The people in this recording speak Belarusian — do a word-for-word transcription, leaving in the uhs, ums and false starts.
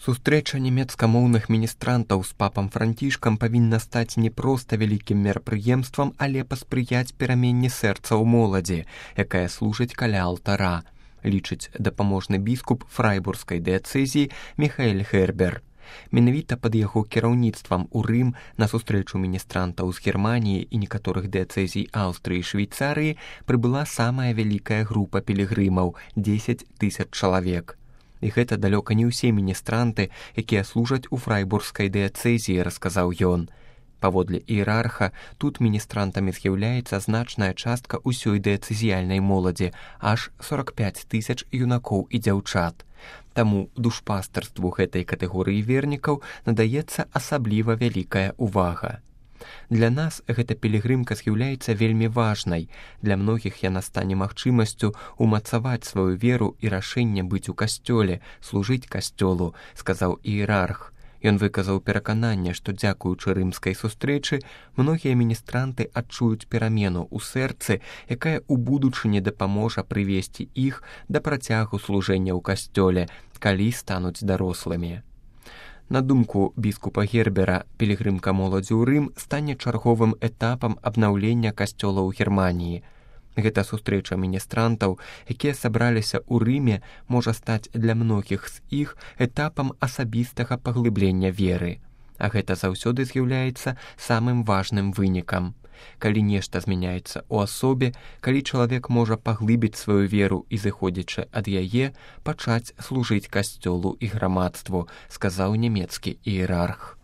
Сустрэча нямецкамоўных міністрантаў з папам Францішкам павінна стаць не проста вялікім мерапрыемствам, але паспрыяць пераменне сэрцаў моладзі, якая служыць каля алтара, лічыць дапаможны біскуп фрайбургскай дыяцэзіі Міхаэль Гербер. Менавіта пад яго кіраўніцтвам у Рым на сустрэчу міністрантаў з Германіі і некаторых дыяцэзій Аўстрыі і Швейцарыі прыбыла самая вялікая група пілігрымаў – дзесяць тысяч чалавек. І гэта далёка не ўсе міністранты, якія служаць у фрайбургскай дыяцэзіі, расказаў ён. Паводле іерарха, тут міністрантамі з'яўляецца значная частка ўсёй дыяцэзіяльнай моладзі, аж сорак пяць тысяч юнакоў і дзяўчат. Таму душпастарству гэтай катэгорыі вернікаў надаецца асабліва вялікая ўвага. Для нас гэта пілігрымка з'яўляецца вельмі важнай. Для многіх яна стане магчымасцю умацаваць сваю веру і рашэнне быць у касцёле, служыць касцёлу, сказаў іерарх. Ён выказаў перакананне, што дзякуючы рымскай сустрэчы многія міністранты адчуюць перамену ў сэрцы, якая ў будучыні дапаможа прывесці іх да працягу служэння ў касцёле, калі стануць дарослымі. На думку біскупа Гербера, пілігрымка моладзі ў Рым стане чарговым этапам абнаўлення касцёла ў Германіі. Гэта сустрэча міністрантаў, якія сабраліся ў Рыме, можа стаць для многіх з іх этапам асабістага паглыблення веры. А гэта заўсёды з'яўляецца самым важным вынікам. Калі нешта змяняецца ў асобе, калі чалавек можа паглыбіць сваю веру і, зыходзячы ад яе, пачаць служыць касцёлу і грамадству, сказаў нямецкі іерарх.